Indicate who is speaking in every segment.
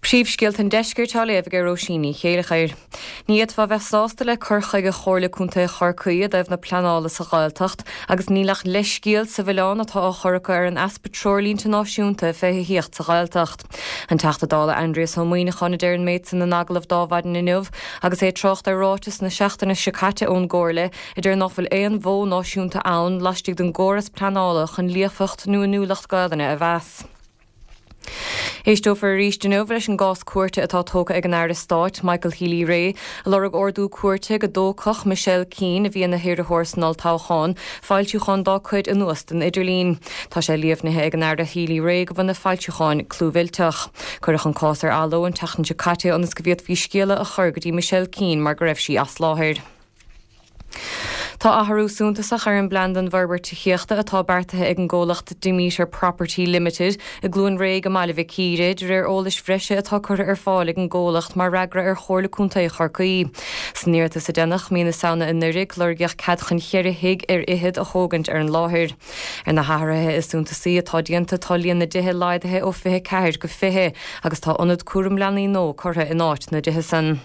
Speaker 1: Príomhscéalta an Deiscirt á léamh ag Róisín Ní Chéilleachair. Ní fhéadfá a bheith sásta le cur chuige Chomhairle Contae Chorcaí i dtaobh na pleanála sa Ghaeltacht agus níl ach leithscéal sa mhilleán atá á chur acu ar an easpa treoirlínte náisiúnta fé thithíocht sa Ghaeltacht. An Teachta Dála Aindrias Ó Muimhneacháin a deir an méid san in agallamh d'Adhmhaidin inniu agus é ag trácht ar ráiteas na seachtaine seo caite ón gComhairle a deir nach bhfuil aon mhodh náisiúnta ann laistigh den gcóras pleanála chun líofacht nó inniúlacht Gaelainne a mheas. Éisteofar arís inniu leis an gcás cúirte atá tógtha ag an Aire Stáit, Michael Healy-Rae, a lorg ordú cúirte go dtógfadh Michelle Keane, a bhí ina hiarrthóir san olltoghchán, foilsiúcháin dá cuid anuas den idirlíon. Tá sé líomhnaithe ag an Aire Healy-Rae go bhfuil na foilsiúcháin clúmhillteach. Cuireadh an cás ar athló an tseachtain seo caite ionas go bhféadfaí scéala a chur go dtí Michelle Keane mar go raibh sí as láthair. Tá athrú suntasach ar an bplean don bhforbairt tithíochta atá beartaithe ag an gcomhlacht Demeter Property Limited i gCluain Réidh i mBaile Mhic Íre, de réir eolais bhreise atá curtha ar fáil ag an gcomhlacht mar fhreagra ar Chomhairle Contae Chorcaí. San iarratas a déanadh mí na Samhna anuraidh, lorgaíodh cead chun cheithre thigh ar fhichead a thógaint ar an láthair. Ar na hathruithe is suntasaí atá déanta tá líon na dtithe laghdaithe ó 24 go 20 agus tá ionad cúram leanaí nua curtha in áit na dtithe san.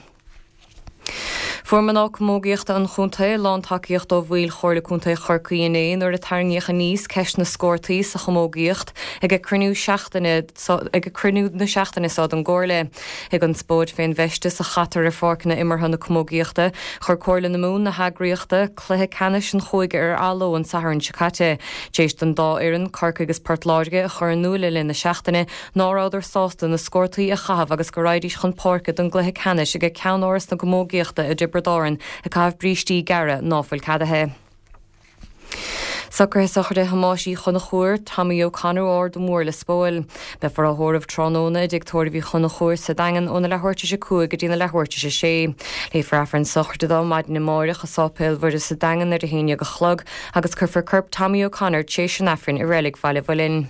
Speaker 1: Fuair mná camógaíochta an chontae lántacaíocht ó bhaill Chomhairle Contae Chorcaí inné nuair a tarraingíodh aníos ceist na scórtaí sa chamógaíocht ag cruinniú seachtaine ag cruinniú na seachtaine seo den gComhairle. I gconspóid fén bhfeisteas a chaitear ar pháirceanna imeartha na camógaíochta, chuir Comhairle na Mumhan na heagraíochta, cluiche ceannais an chúige ar athló an Satharn seo caite, tar éis don dá fhoireann, Corcaigh agus Port Láirge, a chur in iúl le linn na seachtaine ná rabhadar sásta na scórtaí a chaitheamh agus go raghaidís chun páirce don gcluiche ceannais ag ceannáras na gcamógaíochta i dTiobraid Árann ag caitheamh brístí gearra ná fuil ceadaithe. Socruithe sochraide Thomáis Uí Chonchúir, Tommy O'Connor ó Ard an Mhóir Lios Póil. Beifear á thórramh tráthnóna i dTigh Tórraimh Uí Chonchúir sa Daingean óna leathuair tar éis a 5 go dtína leathuair tar éis a 6. Léifear Aifreann sochraide dó maidin amáireach i Sáipéal Mhuire sa Daingean ar a haon dhéag a chlog agus cuirfear corp Tommy O'Connor tar éis an Aifrinn i Reilig Bhaile Mhuilinn.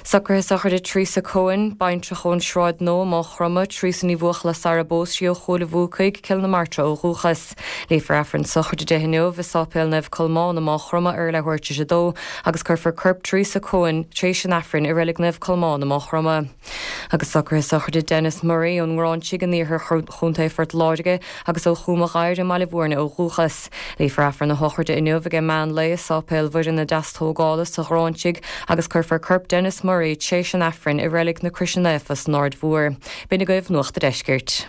Speaker 1: Socruithe sochraide Teresa Coen, baintreach ón Sráid Nua, Maigh Chromtha, Teresa Ní Bhuachalla sara bpós sí ó Chúil a' Bhuacaigh, Cill na Martra ó dhúchas. Léifear Aifreann sochraide di inniu i Sáipéal Naomh Colmán i Maigh Chromtha ar a leathuair tar éis a dó agus cuirfear corp Teresa Coen tar éis an Aifrinn i Reilig Naomh Colmán i Maigh Chromtha. Agus socruithe sochraide Denis Murray ón nGráinsigh in iarthar Chontae Phort Láirge agus ó Chúm a' Ghair i mBaile Bhúirne ó dhúchas. Léifear Aifreann a shochraide inniu ag meán lae i Sáipéal Mhuire na Deastógála sa Ghráinsigh agus cuirfear corp Denis Murray tréis an Aifrinn i Reilig na Croise Naofa san Aird Mhór. B'in agaibh Nuacht a' Deiscirt.